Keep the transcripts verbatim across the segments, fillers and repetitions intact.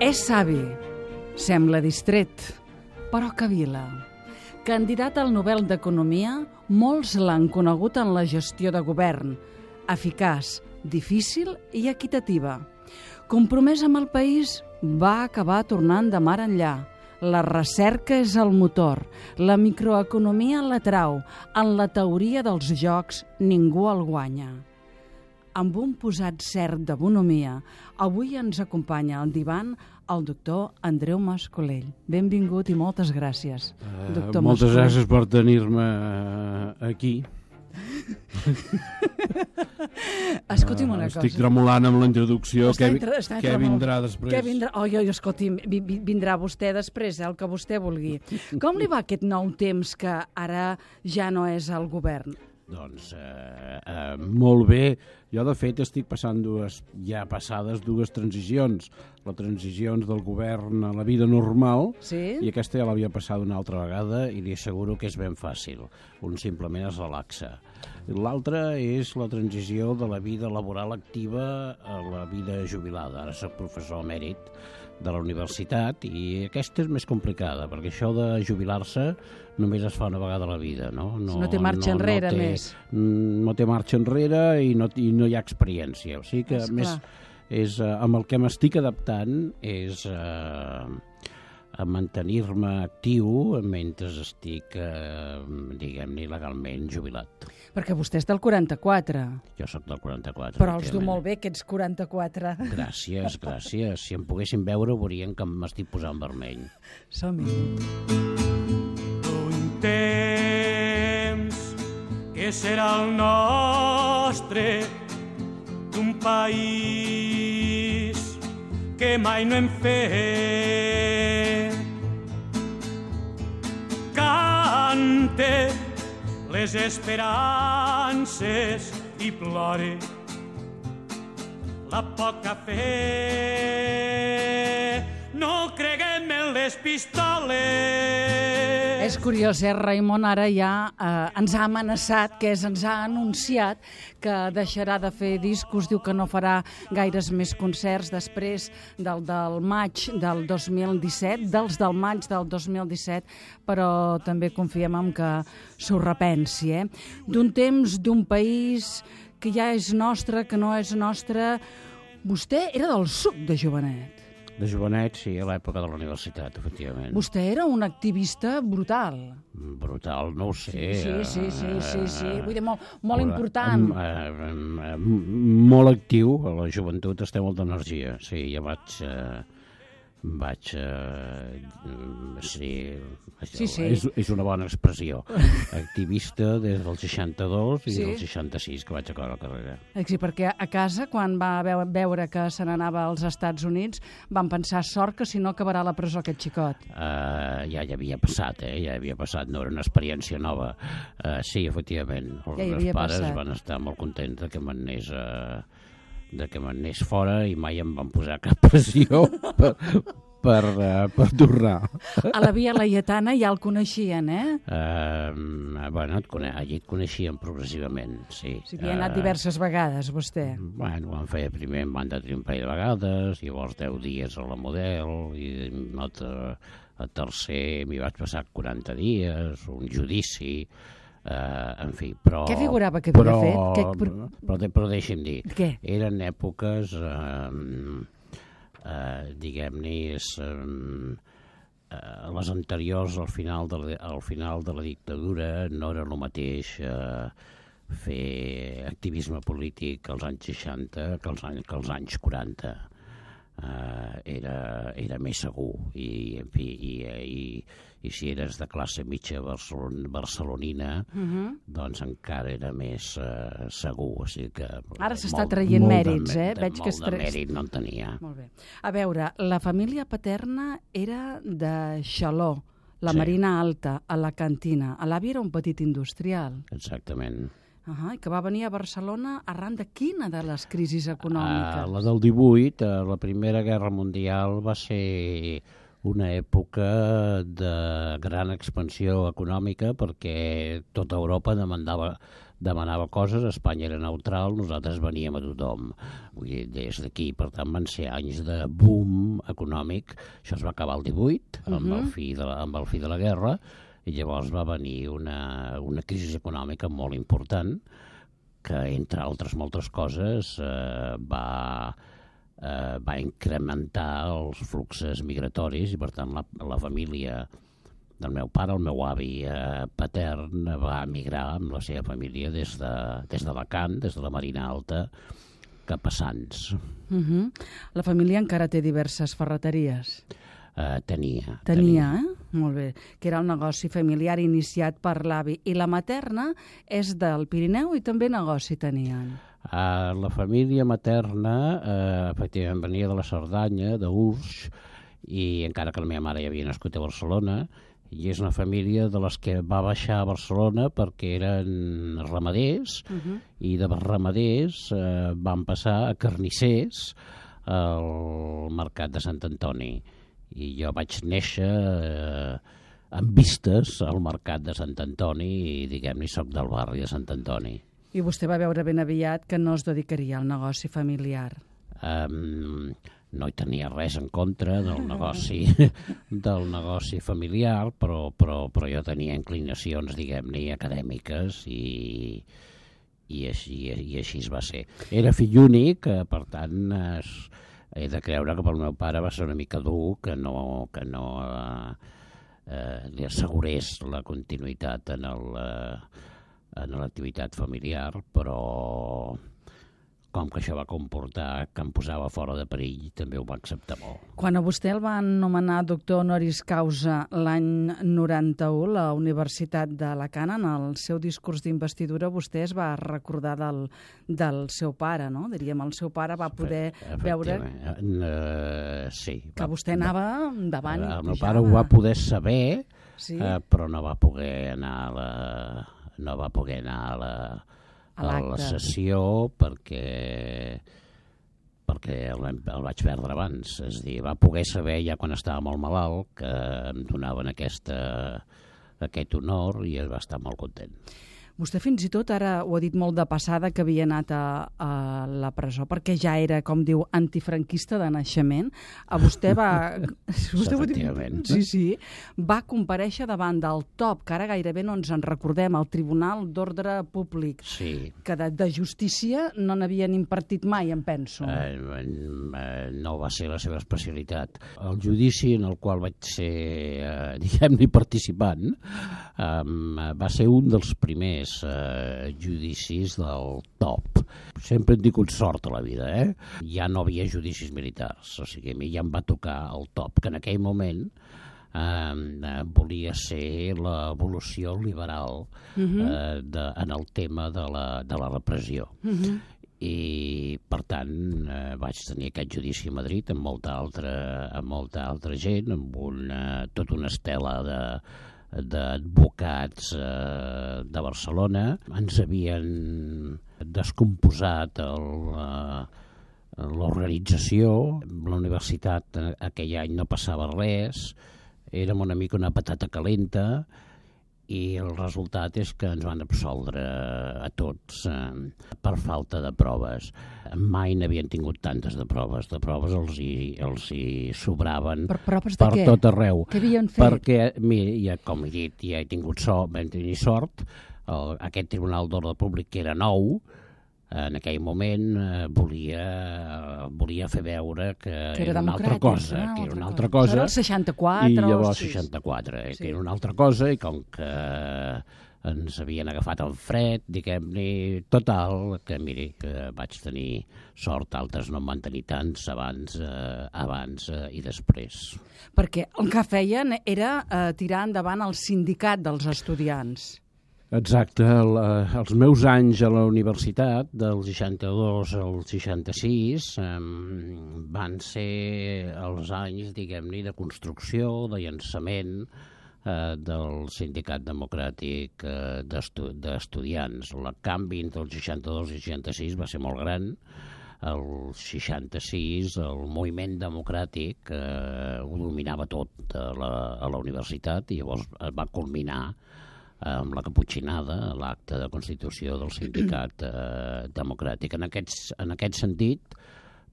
És savi, sembla distret, però cavila. Candidat al Nobel d'Economia, molts l'han conegut en la gestió de govern, eficaç, difícil i equitativa. Compromès amb el país, va acabar tornant de mar enllà. La recerca és el motor, la microeconomia l'atrau, en la teoria dels jocs ningú el guanya. Amb un posat cert de bonomia, avui ens acompanya al divan el doctor Andreu Mas-Colell. Benvingut i moltes gràcies, Uh, doctor moltes Mas-Colell. gràcies per tenir-me uh, aquí. Escolti'm una uh, cosa. Estic tremolant amb la introducció. Està Què, entre- està què tremol- vindrà després? Què vindrà? Oi, oi, escolti'm, vi- vi- vindrà vostè després, eh, el que vostè vulgui. Com li va aquest nou temps que ara ja no és al govern? Doncs uh, uh, molt bé. Jo, de fet, estic passant dues, ja passades dues transicions. La transició del govern a la vida normal, Sí? i aquesta ja l'havia passada una altra vegada i li asseguro que és ben fàcil. Un simplement es relaxa. L'altra és la transició de la vida laboral activa a la vida jubilada. Ara soc professor emèrit de la universitat i aquesta és més complicada, perquè això de jubilar-se només es fa una vegada a la vida, no? No té marxa enrere, té, més. No té marxa enrere i no, i no hi ha experiència. O sigui que, És a més, és, uh, amb el que m'estic adaptant és uh, a mantenir-me actiu mentre estic, uh, diguem-ne, legalment jubilat. Perquè vostè és del quaranta-quatre, Jo sóc del quaranta-quatre. però els du efectivament. molt bé aquests quaranta-quatre. Gràcies, gràcies. Si em poguessin veure veurien que m'estic posant vermell. Som-hi. Un temps que serà el nostre, d'un país que mai no hem fet. Cante les esperances i plore la poca fe. No creguem en les pistoles. És curiós, eh? Raimon ara ja eh, ens ha amenaçat, que és, ens ha anunciat que deixarà de fer discos, diu que no farà gaires més concerts després del del maig del dos mil disset, dels del maig del dos mil disset, però també confiem en que s'ho repensi, eh? D'un temps, d'un país que ja és nostre, que no és nostre. Vostè era del suc de jovenet. De jovenet, sí, a l'època de la universitat, efectivament. Vostè era un activista brutal. Brutal, no ho sé. Sí, sí, sí, sí, sí. Vull dir, molt, molt Hola, important. em, em, em, molt actiu, a la joventut es té molta energia. Sí, ja vaig... Eh, vaig... Eh, sí, Sí, sí. És, és una bona expressió. Activista des del seixanta-dos i Sí. del seixanta-sis que vaig acabar la carrera. Sí, perquè a casa, quan va veu- veure que se n'anava als Estats Units, van pensar, sort que si no acabarà a la presó aquest xicot. Uh, ja hi havia passat, eh? Ja hi havia passat, no era una experiència nova. Uh, sí, efectivament, els Ja hi meus havia pares passat. van estar molt contents de que m'anés uh, de que m'anés fora i mai em van posar cap pressió per, per, uh, per tornar. A la Via Laietana ja el coneixien, eh? Uh, bueno, et cone allí et coneixien progressivament, sí. O sigui, ha anat diverses vegades, vostè. Bueno, em feia primer, em van detenir un parell de vegades, llavors deu dies a la Model, i a, a tercer m'hi vaig passar quaranta dies, un judici, uh, en fi, però... Què figurava que havia però, fet? Què- Però, però, però deixi'm dir, Què? eren èpoques, uh, uh, diguem-ne, uh, Uh, les anteriors al final, de la, al final de la dictadura no era el mateix uh, fer activisme polític als anys seixanta que als anys, que als anys quaranta. Uh, era, era més segur i, en fi, i, i, i si eres de classe mitja barcelon, barcelonina Uh -huh. doncs encara era més uh, segur. O sigui que, Ara s'està molt- traient molt de mèrits, mè- eh? de- Veig que molt es de tra- mèrit no en tenia. Molt bé. A veure, la família paterna era de Xaló, la Sí. Marina Alta, a la cantina. L'avi era un petit industrial. Exactament. Uh -huh, que va venir a Barcelona arran de quina de les crisis econòmiques? Uh, la del divuit, uh, la Primera Guerra Mundial, va ser una època de gran expansió econòmica perquè tota Europa demandava, demanava coses, Espanya era neutral, nosaltres veníem a tothom. Vull dir, des d'aquí, per tant, van ser anys de boom econòmic. Això es va acabar el divuit, uh-huh. amb, el fi de la, amb el fi de la guerra, i llavors va venir una, una crisi econòmica molt important que, entre altres moltes coses, eh, va... Uh, va incrementar els fluxes migratoris i, per tant, la, la família del meu pare, el meu avi uh, patern, va emigrar amb la seva família des de, des d'Alacant, des de la Marina Alta, cap a Sants. Uh-huh. La família encara té diverses ferreteries? Uh, tenia. Tenia, tenia, eh? Molt bé. Que era un negoci familiar iniciat per l'avi. I la materna és del Pirineu i també negoci tenien? Uh, la família materna, uh, efectivament, venia de la Cerdanya, d'Urs, i encara que la meva mare ja havia nascut a Barcelona, i és una família de les que va baixar a Barcelona perquè eren ramaders, uh-huh. i de ramaders uh, van passar a carnissers al mercat de Sant Antoni. I jo vaig néixer eh, amb vistes al mercat de Sant Antoni i, diguem-ne, soc del barri de Sant Antoni. I vostè va veure ben aviat que no es dedicaria al negoci familiar? Um, no hi tenia res en contra del negoci, del negoci familiar, però, però, però jo tenia inclinacions, diguem-ne, acadèmiques i, i, així, i així es va ser. Era fill únic, per tant, es, he de creure que pel meu pare va ser una mica dur que no, que no eh, eh, li assegurés la continuïtat en el... Eh, en l'activitat familiar, però com que això va comportar que em posava fora de perill, també ho va acceptar molt. Quan a vostè el van nomenar doctor honoris causa l'any noranta-u, la Universitat d'Alacant, en el seu discurs d'investidura, vostè es va recordar del, del seu pare, no? Diríem, el seu pare va poder veure uh, sí, que va, vostè anava endavant. El meu pare ho va poder saber, sí? uh, però no va poder anar a la... no va poder anar a la, a a la sessió perquè, perquè el, el vaig perdre abans. És a dir, va poder saber ja quan estava molt malalt que em donaven aquesta, aquest honor i va estar molt content. Vostè fins i tot ara ho ha dit molt de passada que havia anat a, a la presó perquè ja era, com diu, antifranquista de naixement. A vostè va... vostè Efectivament. Sí, sí. Va comparèixer davant del top, que ara gairebé no ens en recordem, el Tribunal d'Ordre Públic, sí. que de, de justícia no n'havien impartit mai, em penso. Eh, eh, no va ser la seva especialitat. El judici en el qual vaig ser, eh, diguem-ne, participant, eh, va ser un dels primers Uh, judicis del top. Sempre hem tingut sort a la vida, eh? Ja no havia judicis militars, o sigui, a mi ja em va tocar el top, que en aquell moment uh, uh, volia ser l'evolució liberal uh-huh. uh, de, en el tema de la, de la repressió. Uh-huh. I, per tant, eh, vaig tenir aquest judici a Madrid amb molta altra, amb molta altra gent, amb una, tota una estela de d'advocats eh, de Barcelona. Ens havien descomposat l'organització. La universitat aquell any no passava res, érem una mica una patata calenta i el resultat és que ens van absoldre a tots eh, per falta de proves. Mai n'havien tingut tantes de proves. De proves els hi, els hi sobraven per, proves per de què? tot arreu. Què havien fet? Perquè, mira, ja, com he dit, ja he tingut sort, vam tenir sort, el, aquest Tribunal d'Ordre Públic, que era nou, en aquell moment eh, volia, volia fer veure que, que era, era una altra cosa, una que era una altra cosa. Era el seixanta-quatre. I llavors sí. seixanta-quatre, sí. que era una altra cosa, i com que ens havien agafat en fred, diguem-ne, total, que miri, que vaig tenir sort, altres no en van tenir tants abans, eh, abans eh, i després. Perquè el que feien era eh, tirar endavant el sindicat dels estudiants. Exacte, el, els meus anys a la universitat, del seixanta-dos al seixanta-sis, eh, van ser els anys, diguem-ne, de construcció, de llançament eh, del Sindicat Democràtic eh, d'estu d'estudiants. El canvi entre el seixanta-dos i el seixanta-sis va ser molt gran. el seixanta-sis el moviment democràtic eh, ho dominava tot a la, a la universitat i llavors es va culminar amb la caputxinada, l'acte de constitució del sindicat eh, democràtic. En, aquests, en aquest sentit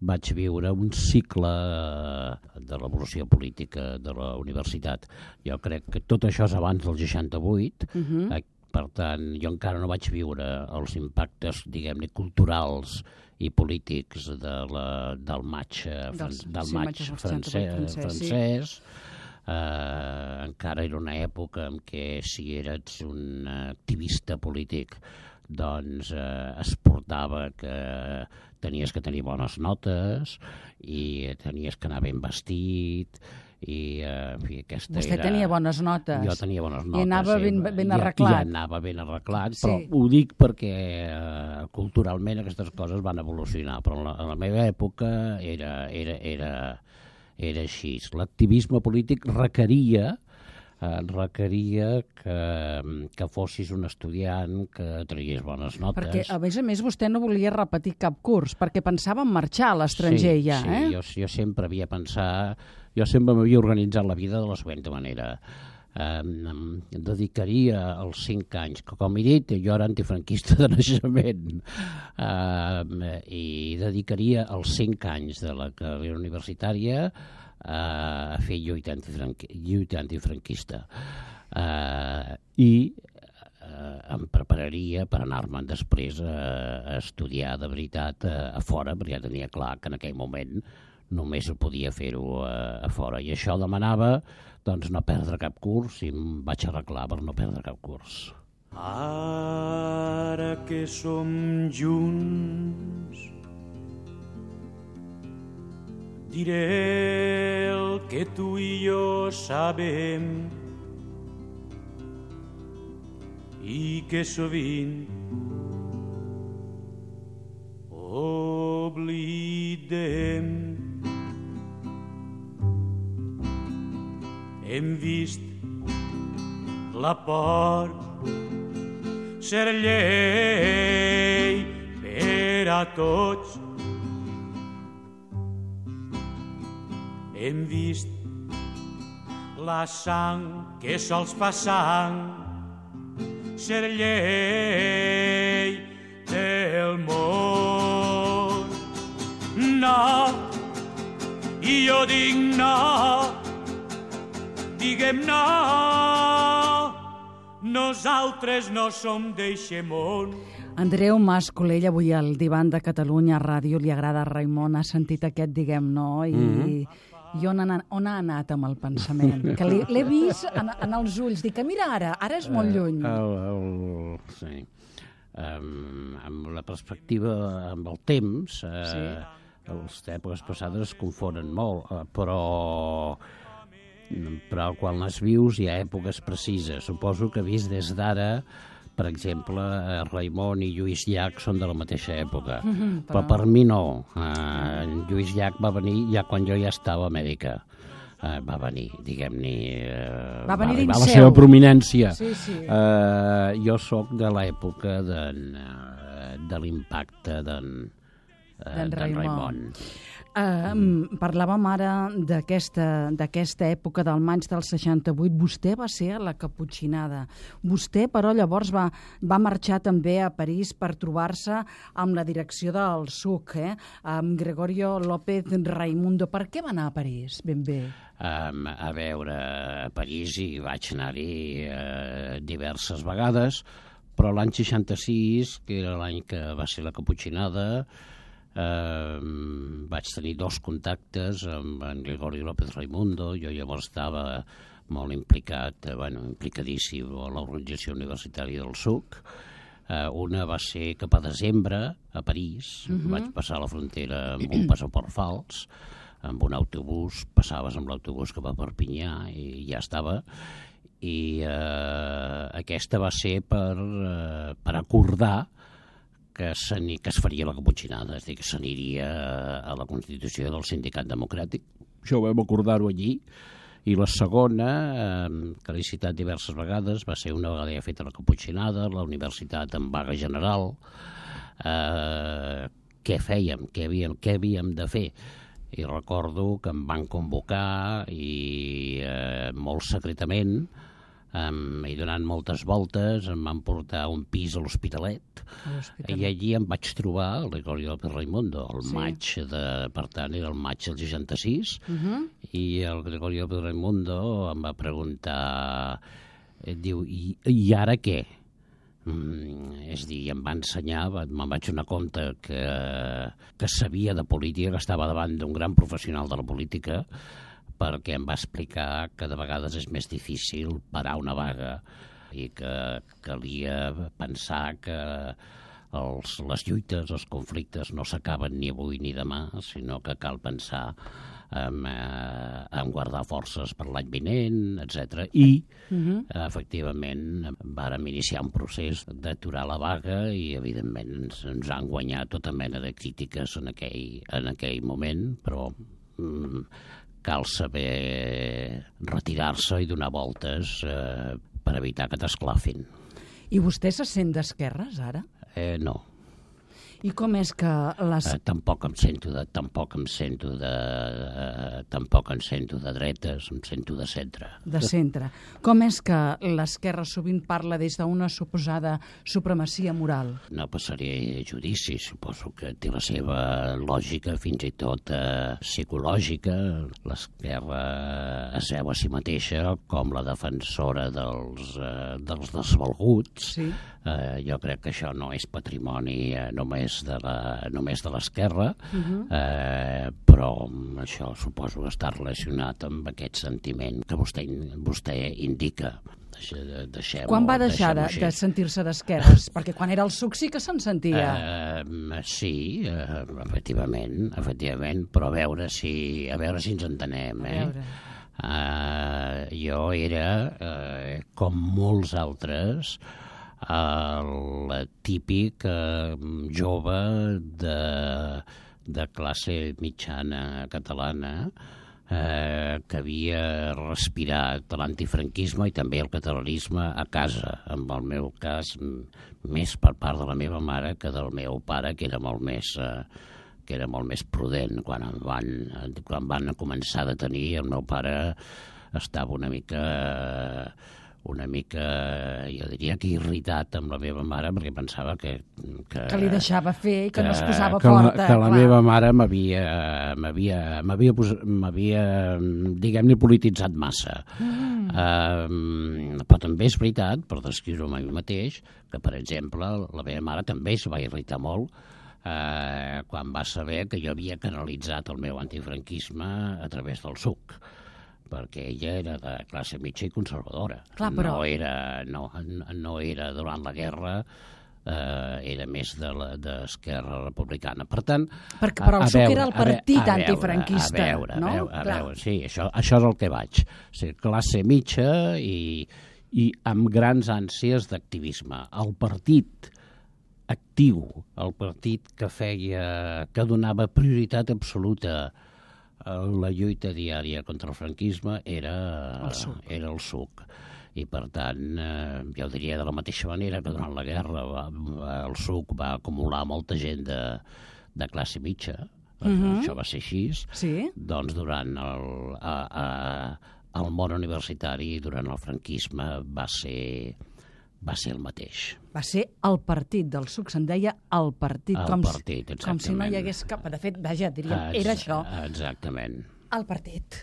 vaig viure un cicle de l'evolució política de la universitat. Jo crec que tot això és abans del seixanta-vuit, uh-huh. eh, per tant, jo encara no vaig viure els impactes, diguem-ne, culturals i polítics de la, del maig, Dels, del sí, maig francès. francès. Sí. Uh, encara era una època en què si eres un activista polític doncs uh, es portava que tenies que tenir bones notes i tenies que anar ben vestit i uh, en fi, aquesta Vostè era... tenia bones notes. Jo tenia bones notes. I anava ben, ben arreglat. I, i anava ben arreglat, però sí. Ho dic perquè uh, culturalment aquestes coses van evolucionar, però en la, en la meva època era, era, era, era així. L'activisme polític requeria eh, requeria que, que fossis un estudiant que tragués bones notes. Perquè, a més a més, vostè no volia repetir cap curs, perquè pensava en marxar a l'estranger sí, ja, sí, eh? Jo, jo sempre havia pensat... Jo sempre m'havia organitzat la vida de la següent manera. Eh, em dedicaria els cinc anys, que com he dit, jo era antifranquista de naixement, eh, i dedicaria els cinc anys de la carrera universitària a fer lluita, antifranqui, lluita antifranquista. Eh, I eh, em prepararia per anar-me'n després a, a estudiar de veritat a, a fora, perquè ja tenia clar que en aquell moment només podia fer-ho a, a fora. I això demanava doncs, no perdre cap curs i em vaig arreglar per no perdre cap curs. Ara que som junts diré el que tu i jo sabem i que sovint oblidem. Hem vist la por ser llei per a tots. Hem vist la sang que sols fa sang ser llei del món. No, i jo dic no, diguem no, nosaltres no som d'eixe món. Andreu Mas Colell, avui al Divan de Catalunya Ràdio, li agrada Raimon, ha sentit aquest diguem no i... Mm-hmm. I on ha, on ha anat amb el pensament? Que l'he vist en, en els ulls. Dic que mira ara, ara és molt lluny. Uh, el, el, sí. Um, amb la perspectiva, amb el temps, uh, sí. Les èpoques passades es confonen molt, uh, però, però quan les vius hi ha èpoques precises. Suposo que vist des d'ara, per exemple, Raimon i Lluís Llach són de la mateixa època, mm-hmm, però... però per mi no. Uh, Lluís Llach va venir ja quan jo ja estava a Amèrica. Uh, va venir, diguem-ne... Uh, va venir dins seu. Va la seva prominència. Sí, sí. Uh, jo sóc de l'època de, uh, de l'impacte d'en uh, Raimon. Uh, parlàvem ara d'aquesta d'aquesta època del maig del seixanta-vuit. Vostè va ser a la Caputxinada. Vostè, però, llavors va, va marxar també a París per trobar-se amb la direcció del S U C, eh? amb Gregorio López Raimundo. Per què va anar a París, ben bé? Um, a veure, a París hi vaig anar-hi uh, diverses vegades, però l'any seixanta-sis, que era l'any que va ser la Caputxinada, Uh, vaig tenir dos contactes amb en Gregorio López Raimundo. Jo llavors estava molt implicat, eh, bueno, implicadíssim a l'organització universitària del S U C. Uh, una va ser cap a desembre a París. Uh-huh. Vaig passar la frontera amb un passaport fals, amb un autobús, passaves amb l'autobús cap a Perpinyà i ja estava. I uh, aquesta va ser per, uh, per acordar que, que es faria la Caputxinada, és a dir, que s'aniria a la Constitució del Sindicat Democràtic. Això ho vam acordar-ho allí. I la segona, eh, que l'he citat diverses vegades, va ser una vegada ja feta la Caputxinada, la universitat en vaga general, eh, què fèiem, què havíem, què havíem de fer. I recordo que em van convocar i eh, molt secretament, Um, i donant moltes voltes em van portar a un pis a l'Hospitalet i allí em vaig trobar el Gregorio López Raimundo el sí. maig de, per tant era el maig del seixanta-sis uh-huh. i el Gregorio López Raimundo em va preguntar eh, diu, i, i ara què? Mm, és dir, em va ensenyar, me'n vaig donar compte que, que sabia de política, que estava davant d'un gran professional de la política, perquè em va explicar que de vegades és més difícil parar una vaga i que calia pensar que els, les lluites, els conflictes no s'acaben ni avui ni demà, sinó que cal pensar en, eh, en guardar forces per l'any vinent, etcètera. I, uh-huh. efectivament, vàrem iniciar un procés d'aturar la vaga i, evidentment, ens, ens han guanyat tota mena de crítiques en aquell, en aquell moment, però mm, cal saber retirar-se i donar voltes eh, per evitar que t'esclafin. I vostè se sent d'esquerres, ara? Eh, no. I com és que les... Eh, tampoc em sento de... Tampoc em sento de... Eh, tampoc em sento de dretes, em sento de centre. De centre. Com és que l'esquerra sovint parla des d'una suposada supremacia moral? No passaré judici, suposo que té la seva lògica, fins i tot eh, psicològica. L'esquerra es veu a si mateixa com la defensora dels, eh, dels desvalguts. Sí. Eh, jo crec que això no és patrimoni eh, només de la, només de l'esquerra, uh-huh. eh, però això suposo que està relacionat amb aquest sentiment que vostè, vostè indica. Deixem, quan va deixar de, de sentir-se d'esquerres? Perquè quan era el suc sí que se'n sentia. Eh, sí, eh, efectivament, efectivament, però a veure si, a veure si ens entenem. Eh? Uh, jo era, uh, com molts altres, el típic eh, jove de, de classe mitjana catalana eh, que havia respirat l'antifranquisme i també el catalanisme a casa, en el meu cas més per part de la meva mare que del meu pare, que era molt més... Eh, que era molt més prudent. Quan em van, quan van començar a detenir, el meu pare estava una mica... una mica, jo diria que irritat amb la meva mare, perquè pensava que... Que, que li deixava fer i que, que no es posava que forta. La, que la clar. meva mare m'havia, m'havia, m'havia, m'havia diguem-ne, polititzat massa. Mm. Uh, però també és veritat, per descriure-ho a mi mateix, que, per exemple, la meva mare també es va irritar molt uh, quan va saber que jo havia canalitzat el meu antifranquisme a través del suc, perquè ella era de classe mitja i conservadora. Clar, però... no, era, no, no era durant la guerra, eh, era més de d'Esquerra Republicana. Per tant... Perquè, però el suc era el partit antifranquista, a veure, no? A veure, a veure, sí, això, això és el que vaig. O sigui, classe mitja i, i amb grans ànsies d'activisme. El partit actiu, el partit que feia, que donava prioritat absoluta la lluita diària contra el franquisme era el suc. Era el suc. I, per tant, eh, jo diria de la mateixa manera que durant la guerra va, el suc va acumular molta gent de, de classe mitja, uh-huh. això va ser així, sí. Doncs durant el, a, a, el món universitari, durant el franquisme, va ser... va ser el mateix. Va ser el partit del suc, se'n deia el partit. El com partit, si, com si no hi hagués cap... De fet, vaja, diríem, Ex era això. Exactament. El partit.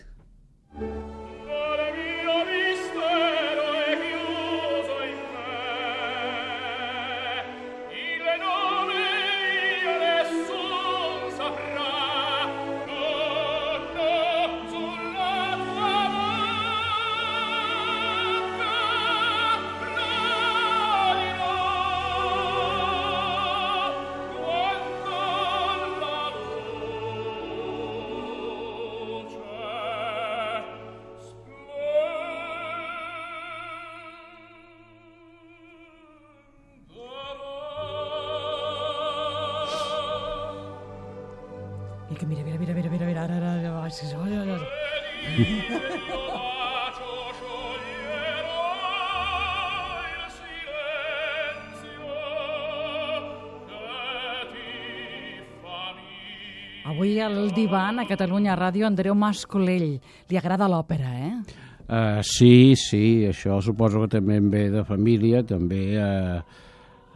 I que mira, mira, mira, mira, mira, mira, ara, ara, ara, ara, ara. Avui al divan a Catalunya Ràdio, Andreu Mas-Colell. Li agrada l'òpera, eh? Uh, sí, sí, això suposo que també em ve de família, també uh,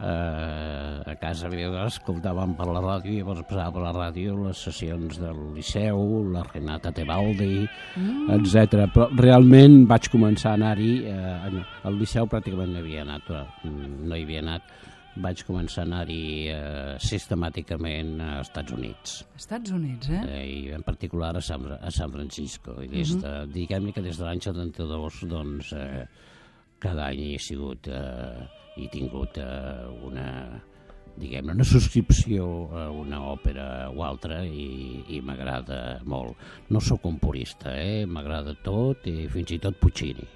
uh, a casa meva escoltàvem per la ràdio, i llavors passava per la ràdio les sessions del Liceu, la Renata Tebaldi, mm. etcètera. Però realment vaig començar a anar-hi, uh, al Liceu pràcticament no hi havia anat, però no hi havia anat, vaig començar a anar-hi eh, sistemàticament a Estats Units. Estats Units, eh? eh I en particular a San, a San Francisco. I des de, uh-huh. diguem-ne que des de l'any setanta-dos, doncs, eh, cada any hi he sigut, eh, he tingut eh, una, diguem-ne, una subscripció a una òpera o altra i, i m'agrada molt. No sóc un purista, eh? M'agrada tot i fins i tot Puccini.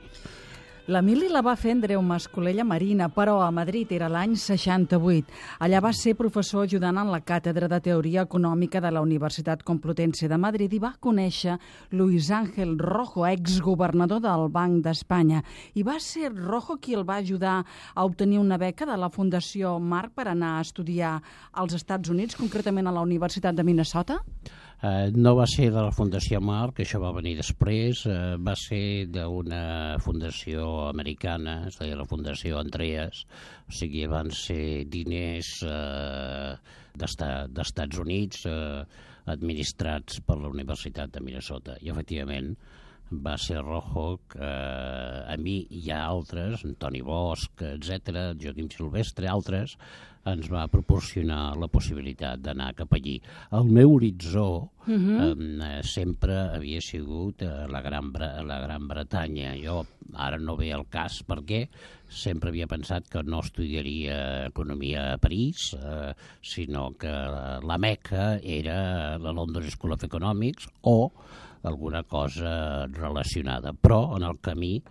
La mili la va fer Andreu Mas-Colell a Marina, però a Madrid era l'any seixanta-vuit. Allà va ser professor ajudant en la càtedra de Teoria Econòmica de la Universitat Complutense de Madrid i va conèixer Luis Ángel Rojo, exgovernador del Banc d'Espanya. I va ser Rojo qui el va ajudar a obtenir una beca de la Fundació Marc per anar a estudiar als Estats Units, concretament a la Universitat de Minnesota? Uh, no va ser de la Fundació Marc, això va venir després, uh, va ser d'una fundació americana, es deia la Fundació Andreas, o sigui, van ser diners uh, d'Estats Units uh, administrats per la Universitat de Minnesota. I, efectivament, va ser Rojo que uh, a mi i a altres, Antoni Bosch, etcètera, Joaquim Silvestre, altres, ens va proporcionar la possibilitat d'anar cap allí. El meu horitzó uh-huh. eh, sempre havia sigut a la Gran, Bre- la Gran Bretanya. Jo ara no ve el cas perquè sempre havia pensat que no estudiaria economia a París, eh, sinó que la Meca era la London School of Economics o alguna cosa relacionada. Però en el camí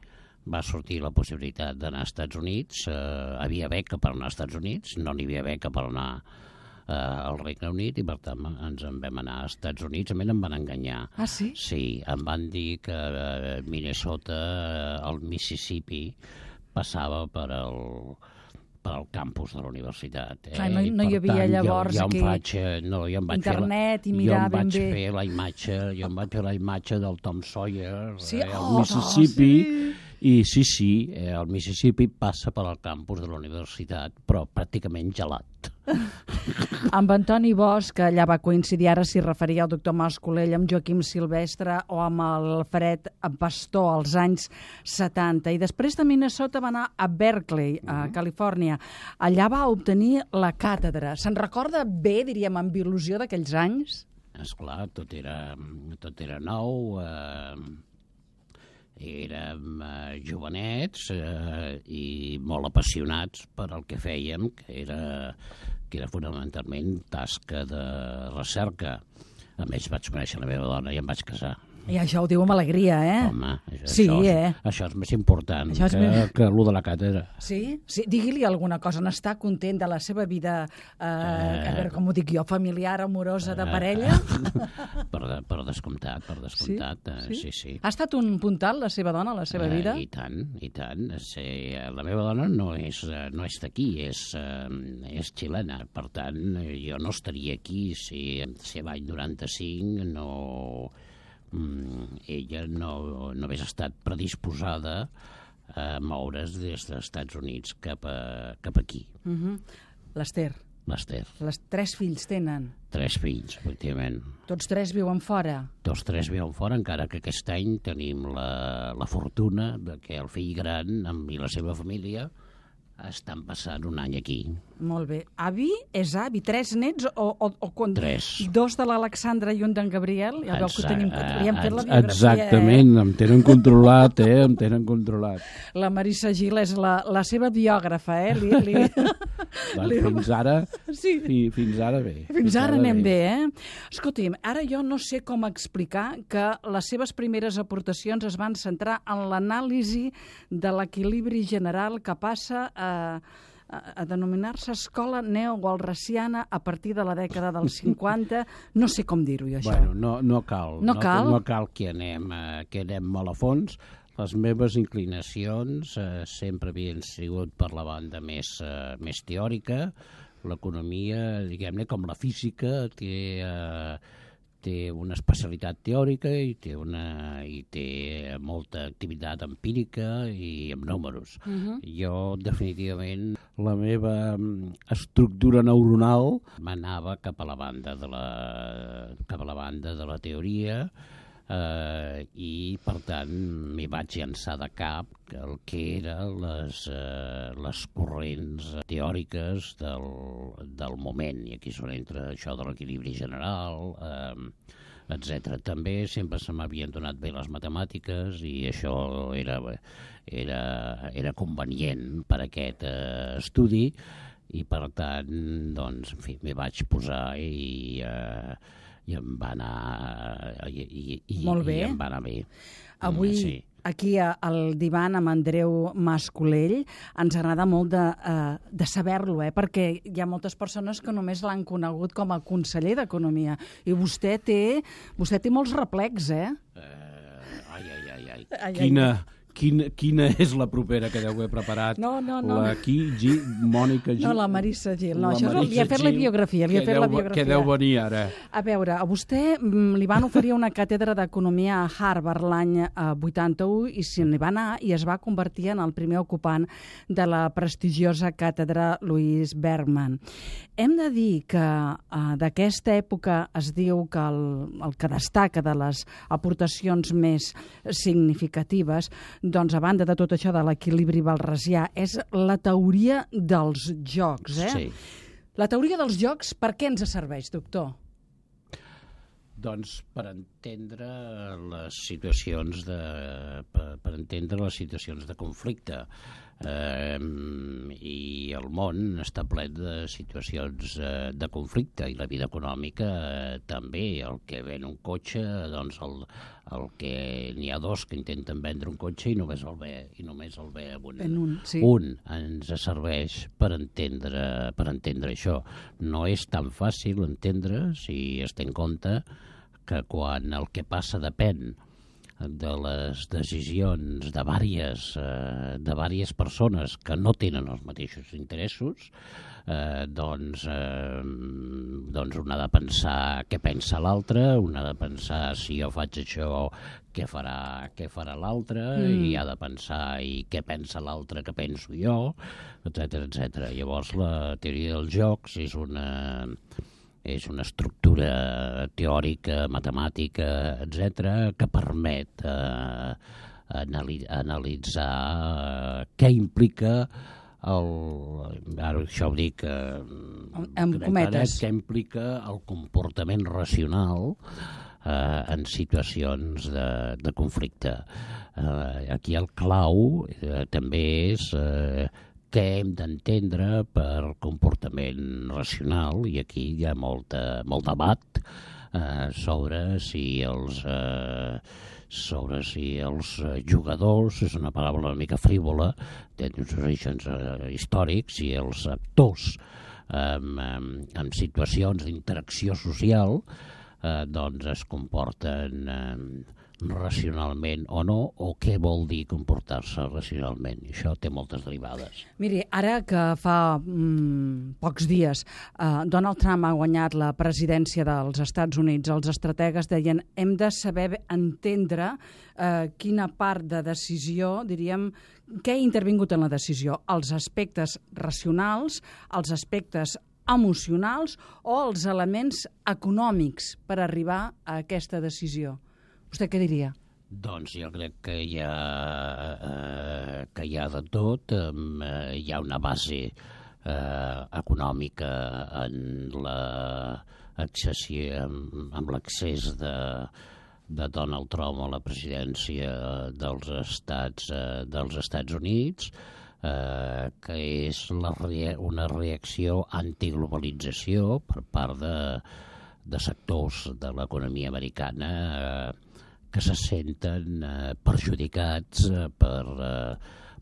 va sortir la possibilitat d'anar als Estats Units, eh, havia beca per anar als Estats Units, no n'hi havia beca per anar eh, al Regne Unit i per tant ens en vam anar als Estats Units. A mi em van enganyar. Ah, sí? Sí, em van dir que eh, Minnesota, eh, el Mississippi, passava per el, per al campus de la universitat. Eh? Clar, no, no hi havia tant, llavors jo, jo aquí vaig, no, jo em vaig internet fer la, i mirar jo em ben vaig bé. fer la imatge, jo em vaig fer la imatge del Tom Sawyer, sí? eh, al oh, Mississippi, sí. i sí, sí, eh, el Mississippi passa per al campus de la universitat, però pràcticament gelat. Amb Antoni Bosch, que allà va coincidir, ara s'hi referia el doctor Mas-Colell, amb Joaquim Silvestre o amb Alfred Pastor als anys setanta. I després de Minnesota va anar a Berkeley, a mm-hmm. Califòrnia. Allà va obtenir la càtedra. Se'n recorda bé, diríem, amb il·lusió d'aquells anys? Esclar, tot era, tot era nou, eh, érem eh, jovenets eh, i molt apassionats per al que fèiem, que era, que era fonamentalment tasca de recerca. A més, vaig conèixer la meva dona i em vaig casar. I això ho diu amb alegria, eh? Home, això, sí, això, eh? això és més important és que, més... que l'u de la càtedra. Sí? sí? Digui-li alguna cosa. N'està content de la seva vida, eh, eh... a veure com ho dic jo, familiar, amorosa, de parella? per, de, per descomptat, per descomptat. Sí? Sí? sí, sí. Ha estat un puntal, la seva dona, la seva eh, vida? I tant, i tant. Sí, la meva dona no és, no és d'aquí, és, és xilena. Per tant, jo no estaria aquí si, si l'any noranta-cinc no... Mm, ella no, no hagués estat predisposada a moure's des dels Estats Units cap, a, cap aquí. Uh-huh. L'Ester. L'Ester. Les tres fills tenen. Tres fills, efectivament. Tots tres viuen fora? Tots tres viuen fora, encara que aquest any tenim la, la fortuna de que el fill gran amb i la seva família estan passant un any aquí. Molt bé. Avi és avi? Tres nets? O, o, o quan... Tres. Dos de l'Alexandra i un d'en Gabriel? Ja veu que tenim, li hem fet la biografia. Exactament, eh? Em tenen controlat, eh? Em tenen controlat. La Marissa Gil és la, la seva biògrafa, eh? Li, li... doncs li... Fins ara, sí. fi, fins ara bé. Fins, fins ara, ara anem bé, bé eh? Escolti'm, ara jo no sé com explicar que les seves primeres aportacions es van centrar en l'anàlisi de l'equilibri general que passa a A, a denominar-se escola neowalrasiana a partir de la dècada dels cinquanta. No sé com dir-ho, això. Bueno, no, no cal. No, no cal? No cal que anem, eh, que anem molt a fons. Les meves inclinacions eh, sempre havien sigut per la banda més, eh, més teòrica. L'economia, diguem-ne, com la física, té, eh, té una especialitat teòrica i té, una, i té molta activitat empírica i amb números. Uh-huh. Jo, definitivament, la meva estructura neuronal m'anava cap a la banda de la, cap a la banda de la teoria, Uh, i per tant m'hi vaig llançar de cap el que eren les, uh, les corrents teòriques del, del moment, i aquí són entre això de l'equilibri general, uh, etcètera. També sempre se m'havien donat bé les matemàtiques i això era, era, era convenient per a aquest uh, estudi, i per tant, doncs, en fi, m'hi vaig posar i... Uh, i em va anar, i, i, i, Molt bé. I em va anar bé. Avui, sí. Aquí al divan amb Andreu Mas-Colell, ens agrada molt de, uh, de saber-lo, eh? Perquè hi ha moltes persones que només l'han conegut com a conseller d'Economia. I vostè té, vostè té molts replecs, eh? Uh, ai, ai, ai, ai. ai quina... Ai. Quina, quina és la propera que deu haver preparat? No, no, no. La qui, G, Mònica Gil? No, la Marissa Gil. No, això Marissa li ha fet Gil, la biografia. Li ha fet deu, la biografia. Què deu venir ara? A veure, a vostè li van oferir una càtedra d'Economia a Harvard l'any vuitanta-u i se n'hi va anar i es va convertir en el primer ocupant de la prestigiosa càtedra Louis Bergman. Hem de dir que uh, d'aquesta època es diu que el, el que destaca de les aportacions més significatives, doncs a banda de tot això de l'equilibri balrasià, és la teoria dels jocs. Eh? Sí. La teoria dels jocs, per què ens serveix, doctor? Doncs per entendre les situacions de, per, per entendre les situacions de conflicte. Eh, i el món està ple de situacions eh, de conflicte, i la vida econòmica eh, també. El que ven un cotxe, doncs el, el que n'hi ha dos que intenten vendre un cotxe i només el ve, i només el ve un. En un, sí. Un ens serveix per entendre, per entendre això. No és tan fàcil entendre si es té en compte que quan el que passa depèn de les decisions de vàries, eh, de vàries persones que no tenen els mateixos interessos, eh, doncs, eh, doncs un ha de pensar què pensa l'altre, un ha de pensar si jo faig això, què farà, què farà l'altre, mm. i ha de pensar i què pensa l'altre que penso jo, etcètera, etcètera. Llavors la teoria dels jocs és una... és una estructura teòrica, matemàtica, etcètera, que permet eh, anali- analitzar eh, què implica el... Ara això ho dic... Eh, amb cometes. Què implica el comportament racional eh, en situacions de, de conflicte. Eh, aquí el clau eh, també és... Eh, què hem d'entendre per comportament racional, i aquí hi ha molta, molt debat eh, sobre si els eh, sobre si els jugadors, és una paraula una mica frívola, té uns orígens eh, històrics, i els actors eh, en situacions d'interacció social eh, doncs es comporten eh, racionalment o no, o què vol dir comportar-se racionalment. I això té moltes derivades. Miri, ara que fa mm, pocs dies eh, Donald Trump ha guanyat la presidència dels Estats Units, els estrategues deien hem de saber entendre eh, quina part de decisió, diríem, què ha intervingut en la decisió, els aspectes racionals, els aspectes emocionals o els elements econòmics per arribar a aquesta decisió. Vostè què diria? Doncs jo crec que hi ha, eh, que hi ha de tot. Eh, hi ha una base eh, econòmica en la accessió, amb, amb l'accés de, de Donald Trump a la presidència dels Estats, eh, dels Estats Units, eh, que és la rea- una reacció antiglobalització per part de, de sectors de l'economia americana eh, que se senten eh, perjudicats eh, per, eh,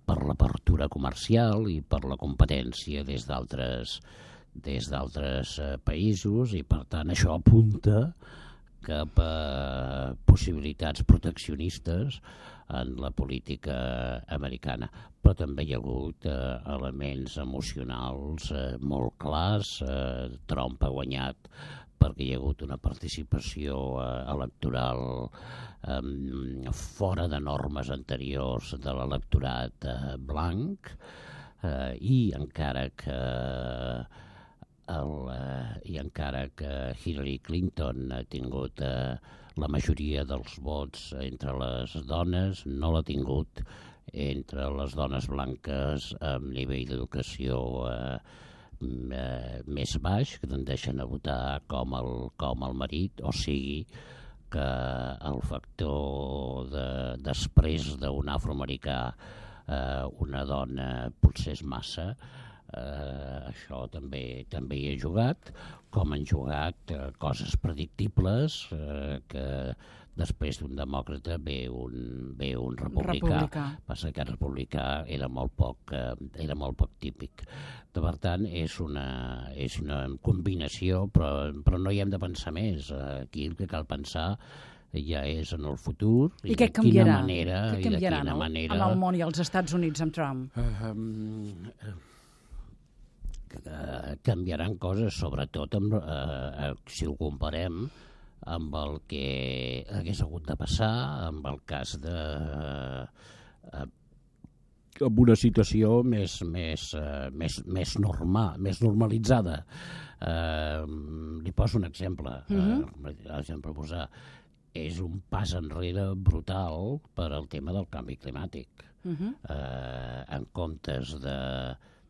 per l'apertura comercial i per la competència des d'altres des d'altres eh, països, i per tant això apunta cap a possibilitats proteccionistes en la política americana. Però també hi ha hagut eh, elements emocionals eh, molt clars. Eh, Trump ha guanyat perquè hi ha hagut una participació eh, electoral eh, fora de normes anteriors de l'electorat eh, blanc, eh, i encara que el, eh, i encara que Hillary Clinton ha tingut eh, la majoria dels vots entre les dones, no l'ha tingut entre les dones blanques amb nivell d'educació eh, Eh, més baix, que tendeixen a votar com el, com el marit, o sigui que el factor de, després d'un afroamericà eh, una dona potser és massa, eh, això també també hi ha jugat, com han jugat eh, coses predictibles, eh, que després d'un demòcrata ve un, ve un republicà. republicà. Passa que el republicà era molt poc, eh, era molt poc típic. Per tant, és una, és una combinació, però, però no hi hem de pensar més. Aquí el que cal pensar ja és en el futur i, i què de canviarà? quina manera, Què i de canviarà quina en el, manera... en el món i als Estats Units amb Trump? Uh, um, uh, canviaran coses, sobretot amb, uh, si ho comparem amb el que hagués hagut de passar, amb el cas de... Uh, amb una situació més, més, uh, més, més normal, més normalitzada. Uh, li poso un exemple. Mm-hmm. uh, exemple posar, és un pas enrere brutal per al tema del canvi climàtic. Mm-hmm. uh, en comptes de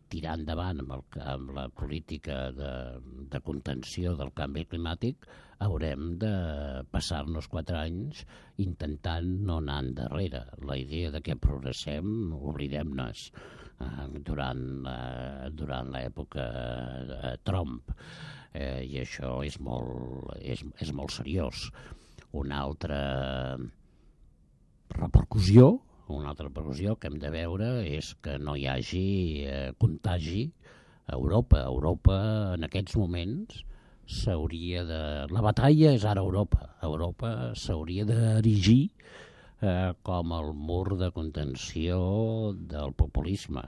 tirar endavant amb, el, amb la política de, de contenció del canvi climàtic, haurem de passar-nos quatre anys intentant no anar endarrere. La idea de que progressem, oblidem-nos. Eh, durant eh, durant l'època eh, Trump, eh, i això és molt, és, és molt seriós. Una altra repercussió Una altra repercussió que hem de veure és que no hi hagi eh, contagi a Europa. Europa, en aquests moments, s'hauria de... La batalla és ara a Europa. Europa s'hauria d'erigir eh, com el mur de contenció del populisme.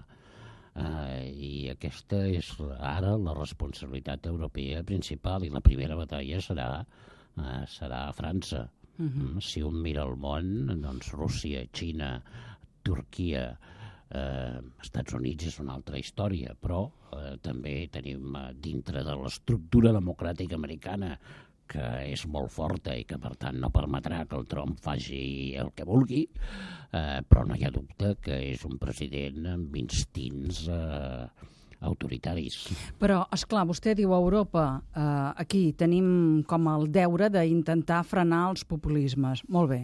Eh, I aquesta és ara la responsabilitat europea principal, i la primera batalla serà, eh, serà a França. Uh-huh. Si un mira el món, doncs Rússia, Xina, Turquia, eh, Estats Units és una altra història, però eh, també tenim eh, dintre de l'estructura democràtica americana, que és molt forta i que per tant no permetrà que el Trump faci el que vulgui, eh, però no hi ha dubte que és un president amb instints eh, autoritaris. Però, esclar, vostè diu a Europa, eh, aquí tenim com el deure d'intentar frenar els populismes. Molt bé,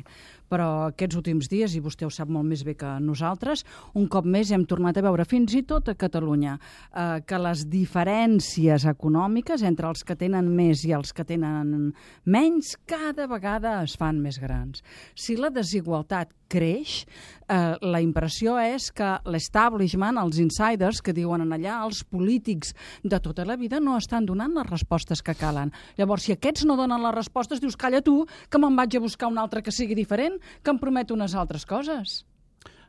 però aquests últims dies, i vostè ho sap molt més bé que nosaltres, un cop més hem tornat a veure, fins i tot a Catalunya, eh, que les diferències econòmiques entre els que tenen més i els que tenen menys cada vegada es fan més grans. Si la desigualtat creix, eh, la impressió és que l'establishment, els insiders que diuen en allà, els polítics de tota la vida no estan donant les respostes que calen. Llavors, si aquests no donen les respostes, dius, calla tu, que me'n vaig a buscar un altre que sigui diferent, que em promet unes altres coses.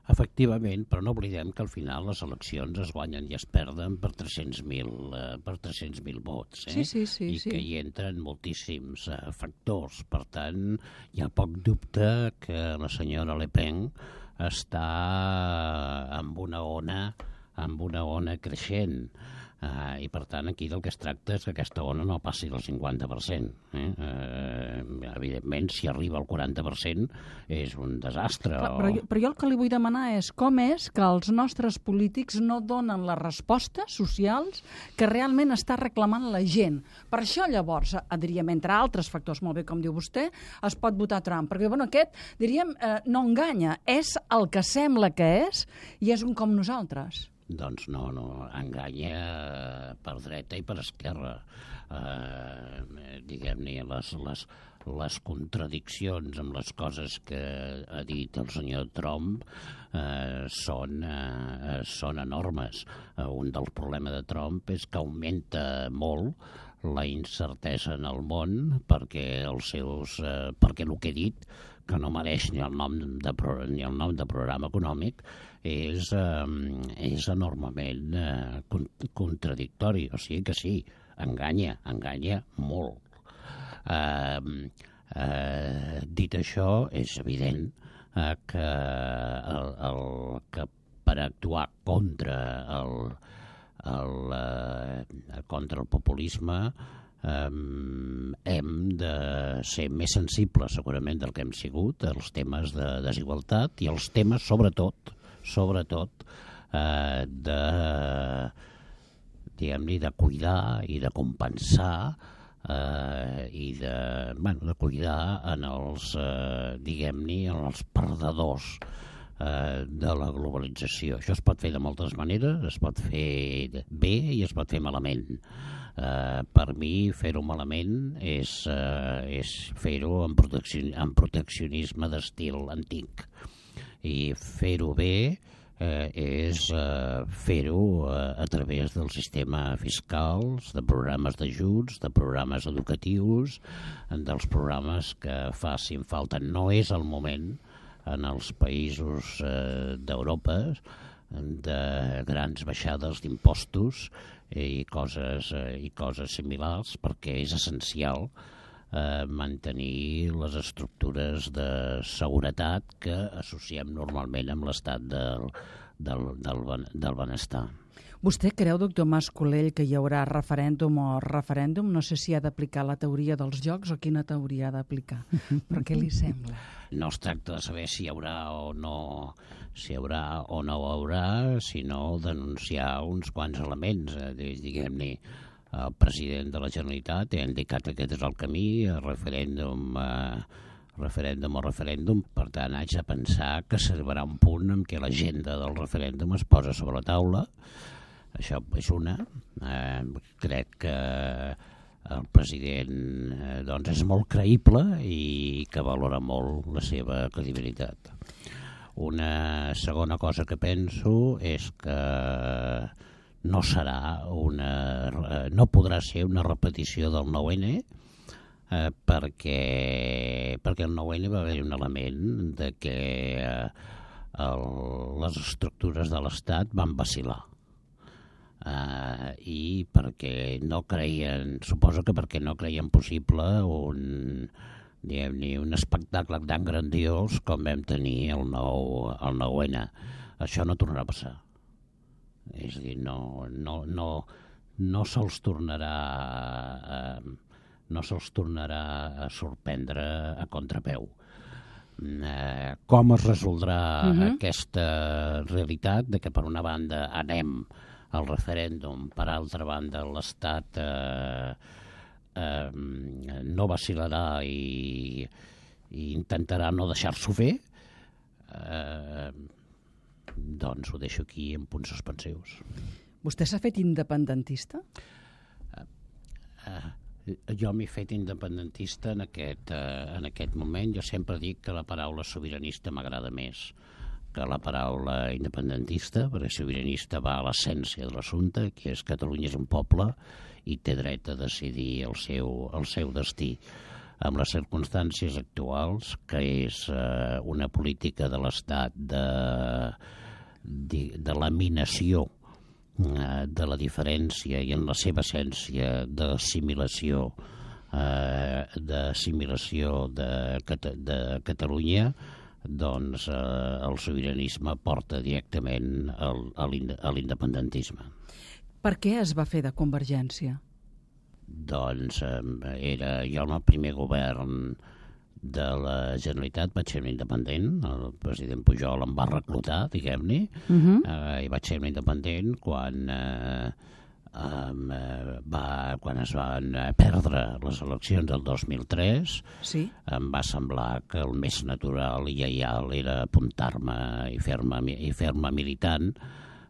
Efectivament, però no oblidem que al final les eleccions es guanyen i es perden per tres-cents mil eh, per tres-cents mil vots, eh? Sí, sí, sí. I sí. que hi entren moltíssims eh, factors. Per tant, hi ha poc dubte que la senyora Le Pen està amb una ona, amb una ona creixent. Uh, I, per tant, aquí del que es tracta és que aquesta ona no passi del cinquanta per cent. Eh? Uh, evidentment, si arriba al quaranta per cent és un desastre. Però, o... però, jo, però jo el que li vull demanar és com és que els nostres polítics no donen les respostes socials que realment està reclamant la gent. Per això, llavors, diríem, entre altres factors, molt bé, com diu vostè, es pot votar Trump. Perquè, bueno, aquest, diríem, eh, no enganya. És el que sembla que és i és un com nosaltres. Doncs no, no, enganya per dreta i per esquerra. Eh, diguem-ne, les, les, les contradiccions amb les coses que ha dit el senyor Trump eh, són, eh, són enormes. Eh, un dels problemes de Trump és que augmenta molt la incertesa en el món perquè els seus, eh, perquè el que he dit, que no mereix ni el nom de, ni el nom de programa econòmic, és, eh, és enormement eh, contradictori. O sigui que sí, enganya, enganya molt. Eh, eh, dit això, és evident eh, que, el, el, que per actuar contra el, el, eh, contra el populisme eh, hem de ser més sensibles segurament del que hem sigut als temes de desigualtat i als temes sobretot, sobretot eh, de, diguem-ne, de cuidar i de compensar eh, i de, bueno, de cuidar en els, eh, diguem-ne, en els perdedors eh, de la globalització. Això es pot fer de moltes maneres, es pot fer bé i es pot fer malament. Eh, per mi, fer-ho malament és, eh, és fer-ho en, proteccion, en proteccionisme d'estil antic. I fer-ho bé Eh, és eh, fer-ho eh, a través del sistema fiscals, de programes d'ajuts, de programes educatius, dels programes que facin falta. No és el moment en els països eh, d'Europa de grans baixades d'impostos i coses, eh, i coses similars, perquè és essencial eh, mantenir les estructures de seguretat que associem normalment amb l'estat del, del, del, del benestar. Vostè creu, doctor Mas Colell, que hi haurà referèndum o referèndum? No sé si ha d'aplicar la teoria dels jocs o quina teoria ha d'aplicar. Però què li sembla? No es tracta de saber si hi haurà o no, si hi haurà o no hi haurà, sinó denunciar uns quants elements, eh, diguem-ne. El president de la Generalitat ha indicat que aquest és el camí, el referèndum, eh, referèndum o referèndum. Per tant, haig de pensar que s'arribarà un punt en què l'agenda del referèndum es posa sobre la taula. Això és una. Eh, crec que el president eh, doncs és molt creïble i que valora molt la seva credibilitat. Una segona cosa que penso és que no serà una, no podrà ser una repetició del nou ene eh, perquè, perquè el nou ene va haver un element de que eh, el, les estructures de l'Estat van vacil·lar eh, i perquè no creien, suposo que perquè no creien possible un, diguem-ne, un espectacle tan grandiós com vam tenir el nou, el nou ene. Això no tornarà a passar. És a dir, no, no, no, no se'ls tornarà, eh, no se'ls tornarà a sorprendre a contrapeu. Eh, com es resoldrà uh-huh. aquesta realitat de que per una banda anem al referèndum, per altra banda l'Estat eh, eh, no vacil·larà i, i intentarà no deixar-s'ho fer, eh, doncs ho deixo aquí en punts suspensius. Vostè s'ha fet independentista? Uh, uh, jo m'he fet independentista en aquest, uh, en aquest moment. Jo sempre dic que la paraula sobiranista m'agrada més que la paraula independentista, perquè sobiranista va a l'essència de l'assumpte, que és Catalunya és un poble i té dret a decidir el seu, el seu destí. Amb les circumstàncies actuals, que és eh, una política de l'Estat de, de, de laminació eh, de la diferència i en la seva essència d'assimilació eh, d'assimilació de, de Catalunya, doncs eh, el sobiranisme porta directament al, a l'independentisme. Per què es va fer de Convergència? Doncs eh, era jo en el primer govern de la Generalitat vaig ser un independent, el president Pujol em va reclutar, diguem-ne, uh-huh. eh, i vaig ser un independent quan, eh, eh, va, quan es van perdre les eleccions del dos mil tres. Sí. Em va semblar que el més natural i lleial era apuntar-me i fer-me, i fer-me militant,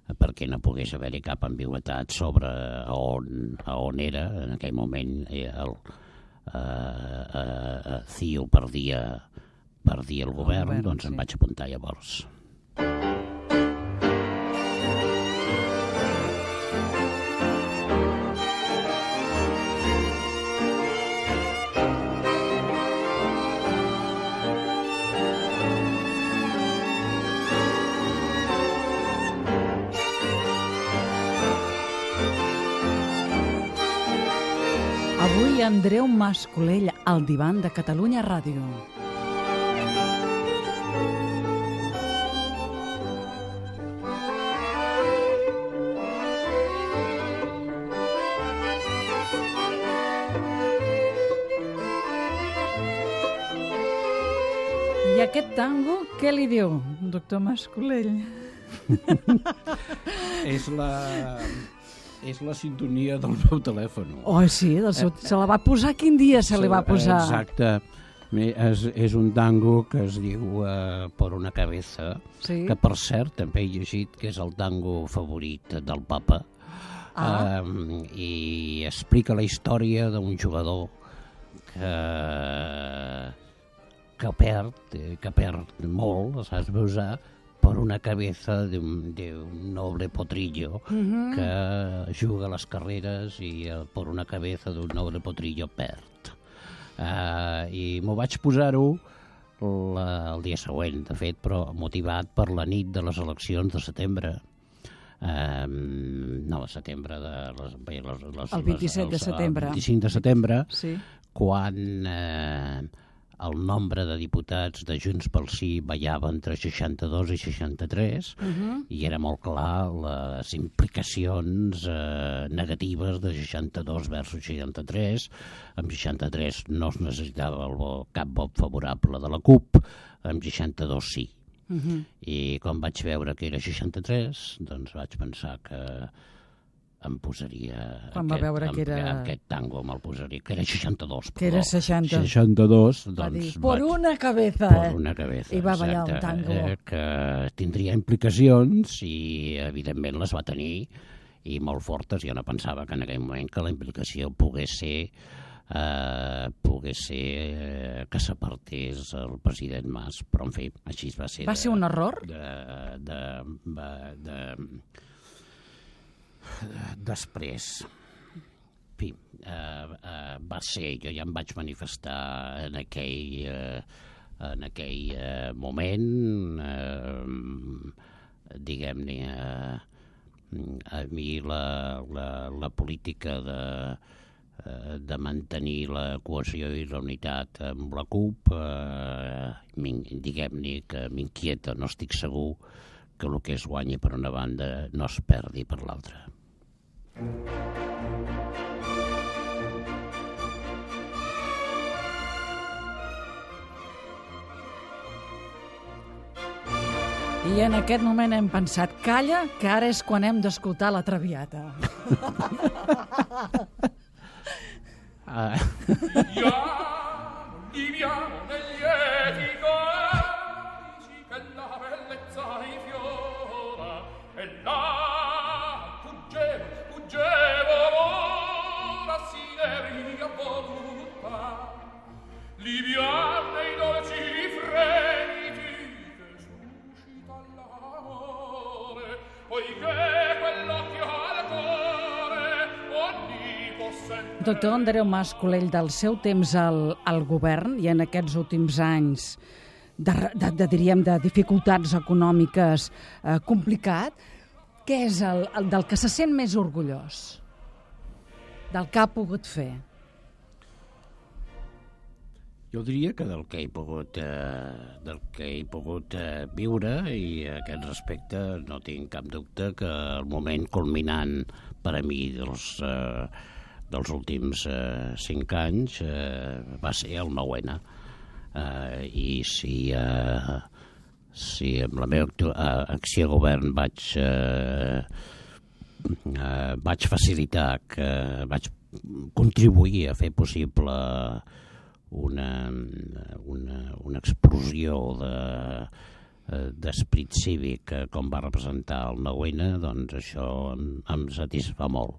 perquè no pogués haver-hi cap ambigüitat sobre on, on era. En aquell moment el eh, eh, C I U perdia, perdia el govern, el govern doncs sí. Em vaig apuntar llavors. Avui Andreu Mas-Colell, al divan de Catalunya Ràdio. I aquest tango, què li diu, doctor Mas-Colell? És la... és la sintonia del meu telèfon. Oh, sí, del seu... se la va posar? Quin dia se li va posar? Exacte. És, és un tango que es diu uh, Por una cabeza, sí. Que per cert també he llegit que és el tango favorit del papa. Ah. Um, i explica la història d'un jugador que, que perd, que perd molt, saps usar, por una cabeza de un, de un noble potrillo uh-huh. que juga a les carreres i uh, por una cabeza d'un noble potrillo perd. Uh, I m'ho vaig posar-ho la, el dia següent, de fet, però motivat per la nit de les eleccions de setembre. Uh, no, de setembre de les, les, les, el vint-i-set de setembre. El vint-i-cinc de setembre, sí. Quan eh, el nombre de diputats de Junts pel Sí ballava entre seixanta-dos i seixanta-tres, uh-huh. i era molt clar les implicacions eh, negatives de seixanta-dos versus seixanta-tres. Amb seixanta-tres no es necessitava el vo, cap vot favorable de la CUP, amb seixanta-dos sí. Uh-huh. I quan vaig veure que era seixanta-tres, doncs vaig pensar que em posaria... Quan va veure que era... Aquest tango me'l posaria, que era seixanta-dos. Que era seixanta. seixanta-dos, doncs... Va dir, por una cabeza. Por una cabeza, I va ballar exacte, un tango. Eh, que tindria implicacions i, evidentment, les va tenir i molt fortes. Jo no pensava que en aquell moment que la implicació pogués ser... Uh, pogués ser uh, que s'apartés el president Mas, però en fi, així va ser. Va de, ser un error? De, de, de, de, de, després, en fi, uh, uh, va ser, jo ja em vaig manifestar en aquell, uh, en aquell uh, moment, uh, diguem-ne, uh, a mi la, la, la política de de mantenir la cohesió i la unitat amb la CUP, eh, diguem-ne que m'inquieta, no estic segur que el que es guanyi per una banda no es perdi per l'altra. I en aquest moment hem pensat, calla, que ara és quan hem d'escoltar la Traviata. Ah. Viviamo, viviamo negli lieti codici che la bellezza infiora e là fuggevo, fuggevo l'ora si devia voluta liviane i dolci fremiti che suscita l'amore poiché quell'occhio al cuore ogni Doctor Andreu Mas-Colell, del seu temps al, al govern i en aquests últims anys de, de, de, diríem, de dificultats econòmiques eh, complicat, què és el, el del que se sent més orgullós? Del que ha pogut fer? Jo diria que del que he pogut, eh, del que he pogut eh, viure, i a aquest respecte no tinc cap dubte que el moment culminant per a mi dels, eh, dels últims eh, cinc anys eh, va ser el nou ene. Eh, I si, eh, si amb la meva actu- eh, acció de govern vaig, eh, eh, vaig facilitar, que vaig contribuir a fer possible una, una, una explosió de, d'esperit cívic com va representar el nou ene, doncs això em, em satisfà molt.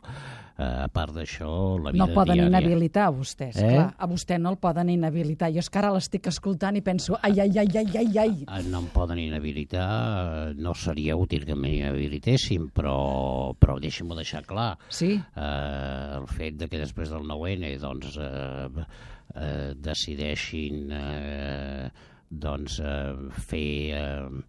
Uh, a part d'això, la vida no poden diària... inhabilitar a vostès, eh? clar. A vostè no el poden inhabilitar. Jo és que ara l'estic escoltant i penso, ai, ai, ai, ai, ai, ai. Uh, no em poden inhabilitar, no seria útil que m'inhabilitessin, però, però deixem-ho deixar clar. Sí. Uh, el fet de que després del nou ene doncs, uh, uh, decideixin uh, doncs, uh, fer... Uh,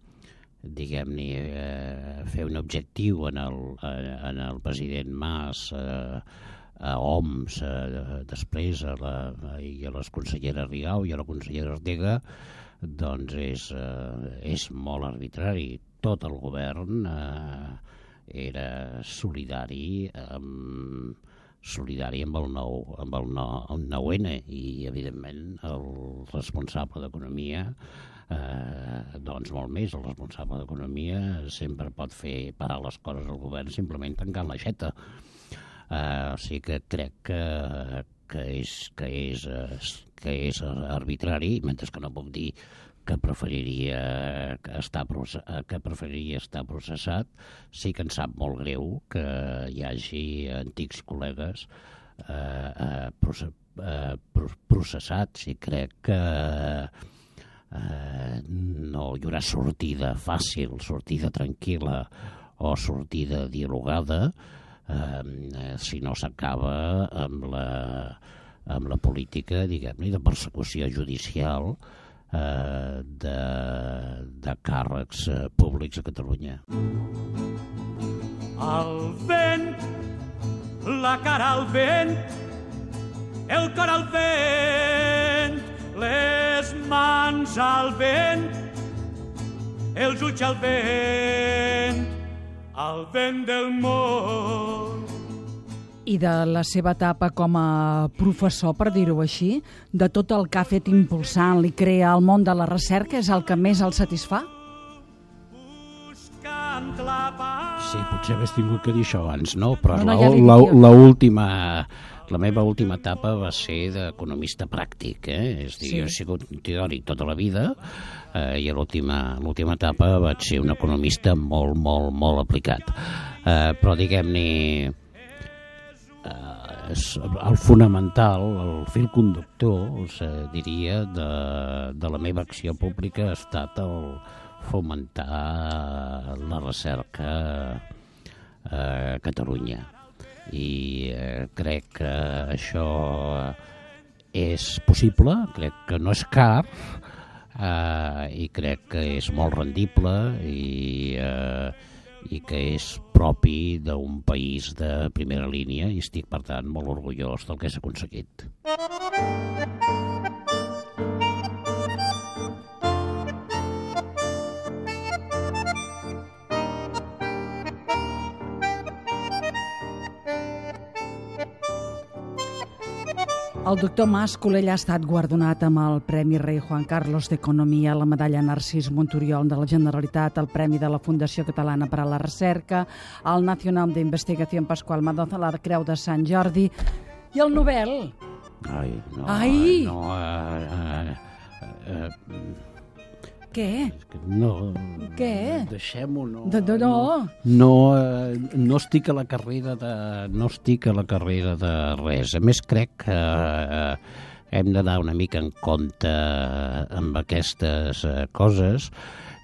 diguem-ne, eh, fer un objectiu en el, en el president Mas eh, a O M S, a, després a la, i a les conselleres Rigau i a la consellera Ortega, doncs és, eh, és molt arbitrari. Tot el govern eh, era solidari amb, solidari amb el nou, amb el nou, el nou N i, evidentment, el responsable d'Economia, eh, doncs molt més, el responsable d'Economia sempre pot fer parar les coses al govern simplement tancant l'aixeta. Eh, o sigui que crec que, que, és, que, és, que és arbitrari, mentre que no puc dir que preferiria estar, que preferiria estar processat. Sí que em sap molt greu que hi hagi antics col·legues eh, eh, processats i crec que eh, no hi haurà sortida fàcil, sortida tranquil·la o sortida dialogada eh, si no s'acaba amb la, amb la política, diguem-ne, de persecució judicial Eh, de, de càrrecs eh, públics a Catalunya. Al vent, la cara al vent, el cor al vent, les mans al vent, els ulls al vent, al vent del món. I de la seva etapa com a professor, per dir-ho així, de tot el que ha fet impulsant i crear el món de la recerca, és el que més el satisfà? Sí, potser hagués tingut que dir això abans, no? Però no, no, la, ja la, la, última, la meva última etapa va ser d'economista pràctic, eh? És dir, sí. Jo he sigut teòric tota la vida eh, i a l'última l'última etapa vaig ser un economista molt, molt, molt aplicat. Eh, però diguem-ne, el fonamental, el fil conductor, diria, de, de la meva acció pública ha estat el fomentar la recerca a Catalunya. I eh, crec que això és possible, crec que no és car, eh, i crec que és molt rendible i... Eh, i que és propi d'un país de primera línia i estic, per tant, molt orgullós del que s'ha aconseguit. El doctor Mas Colell ha estat guardonat amb el Premi Rei Juan Carlos d'Economia, la medalla Narcís Monturiol de la Generalitat, el Premi de la Fundació Catalana per a la Recerca, el Nacional d'Investigació Pasqual Madoza, la Creu de Sant Jordi i el Nobel. Ai, no, Ai. no, uh, uh, uh, Què? No. Què? Deixem-ho, no. De, de, no. No, eh, no estic a la carrera de... No estic a la carrera de res. A més, crec que eh, hem d'anar una mica en compte amb aquestes eh, coses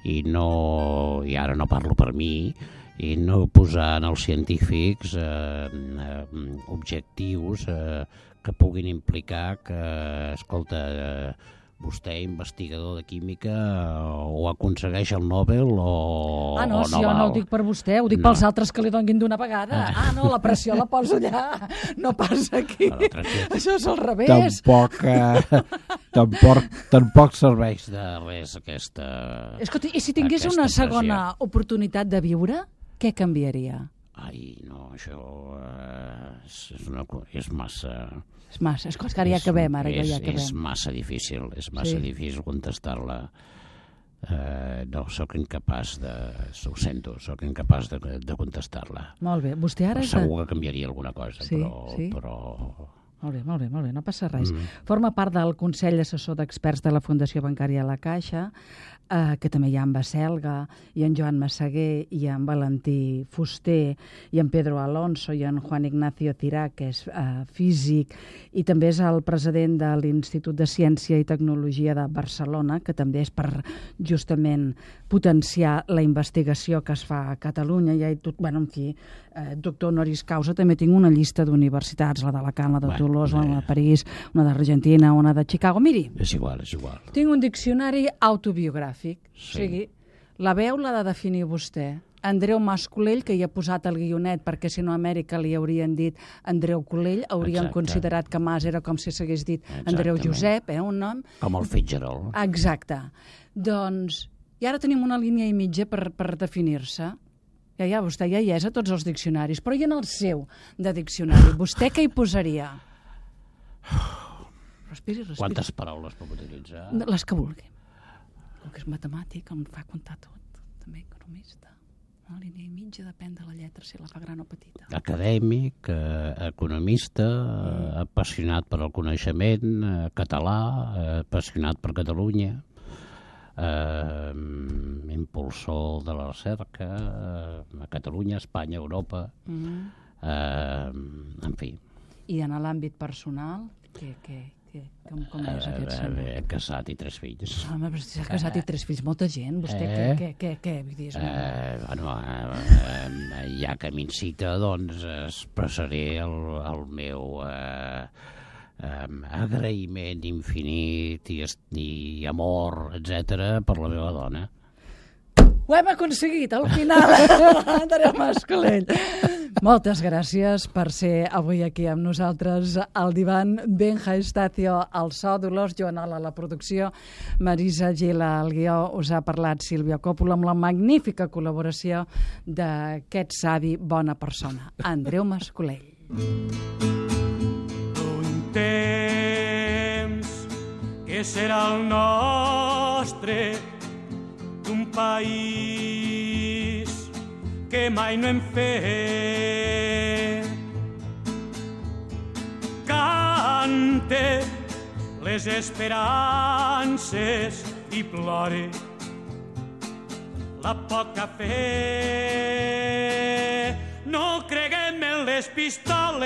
i no... I ara no parlo per mi, i no posar en els científics eh, eh, objectius eh, que puguin implicar que, escolta... Eh, vostè, investigador de química, o aconsegueix el Nobel o, ah, no, o no si jo val. no ho dic per vostè, ho dic no. Pels altres que li donguin d'una vegada. Ah, no, la pressió la poso allà, no passa aquí. No, això és al revés. Tampoc, eh, tampoc, tampoc serveix de res aquesta... Escolta, i si tingués una segona pressió. Oportunitat de viure, què canviaria? Ai, no, això eh, és, una, és massa... És massa, és que ara ja acabem, ara és, ja acabem. És massa difícil, és massa sí. difícil contestar-la. Eh, no, sóc incapaç de... Ho sento, sóc incapaç de, de contestar-la. Molt bé, vostè ara... Segur que canviaria alguna cosa, sí, però... Sí. però... Molt bé, molt bé, molt bé, no passa res. Mm. Forma part del Consell Assessor d'Experts de la Fundació Bancària La Caixa, eh, que també hi ha en Baselga, i en Joan Massaguer, i en Valentí Fuster, i en Pedro Alonso, i en Juan Ignacio Cirá, que és eh, físic, i també és el president de l'Institut de Ciència i Tecnologia de Barcelona, que també és per justament potenciar la investigació que es fa a Catalunya. I, tot, bueno, en fi, eh, doctor honoris causa, també tinc una llista d'universitats, la d'Alacant, la de bueno, Toulouse, una de París, una d'Argentina, una de Chicago. Miri, és igual, és igual. Tinc un diccionari autobiogràfic, sí. O sigui, la veu l'ha de definir vostè. Andreu Mascolell, que hi ha posat el guionet, perquè si no a Amèrica li haurien dit Andreu Colell, haurien Exacte. considerat que Mas era com si s'hagués dit Andreu Exactament. Josep, eh, un nom. Com el Fitzgerald. Exacte. Doncs, i ara tenim una línia i mitja per, per definir-se. Ja, ja, vostè ja hi és a tots els diccionaris, però i en el seu de diccionari? Vostè què hi posaria? Respiri, respiri. Quantes paraules puc utilitzar? Les que vulgui. El que és matemàtic, em fa comptar tot. També economista. Una línia i mitja, depèn de la lletra, si la fa gran o petita. Acadèmic, eh, economista, eh, apassionat per al coneixement, eh, català, eh, apassionat per Catalunya, eh, impulsor de la recerca, eh, a Catalunya, Espanya, Europa, Mm. eh, en fi. I en l'àmbit personal, què, què, què, com, com és aquest Eh, senyor? eh, casat i tres fills. Home, però s'ha casat i tres fills, molta gent. Vostè Eh? què, què, què, què? Vull dir, és una... Eh, bueno, eh, eh, ja que m'incita, doncs expressaré el, el meu eh, eh, agraïment infinit i, est- i amor, etcètera, per la meva dona. Ho hem aconseguit, al final, Andreu Mascolell. Moltes gràcies per ser avui aquí amb nosaltres al divan. Benja Estacio al so, Dolors Joanol a la producció, Marisa Gila al guió, us ha parlat Sílvia Coppola amb la magnífica col·laboració d'aquest savi bona persona, Andreu Mascolell. Un temps que serà el nostre, d'un país que mai no hem fet. Cante les esperances i plore la poca fe. No creguem en les pistoles,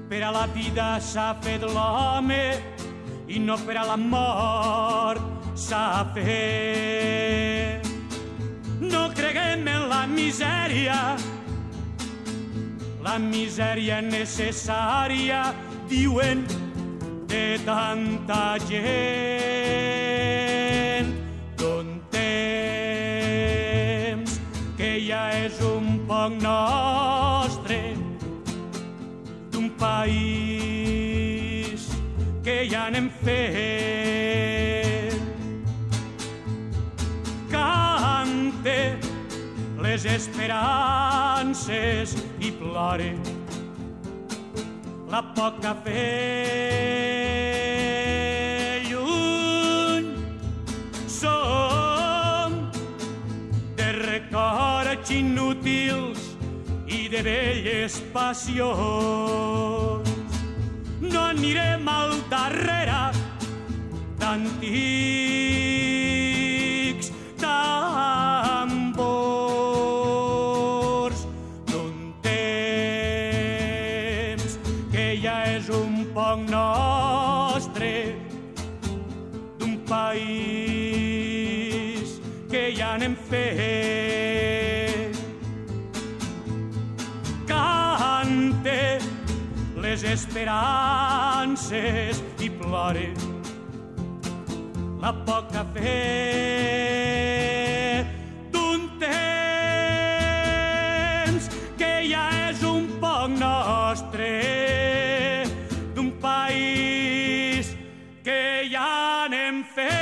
per a la vida s'ha fet l'home i no per a la mort s'ha fet. No creguem en la misèria, la misèria necessària, diuen, de tanta gent. D'un temps que ja és un poc nostre, d'un país que ja n'hem fet. Cante les esperances i plore la poca fe. Lluny som de records inútils i de velles passions. No anirem al darrere d'antics tambors, d'un temps que ja és un poc nostre, d'un país que ja n'hem fet. Cante les esperances i plore la poca fe d'un temps que ja és un poc nostre, d'un país que ja n'hem fet.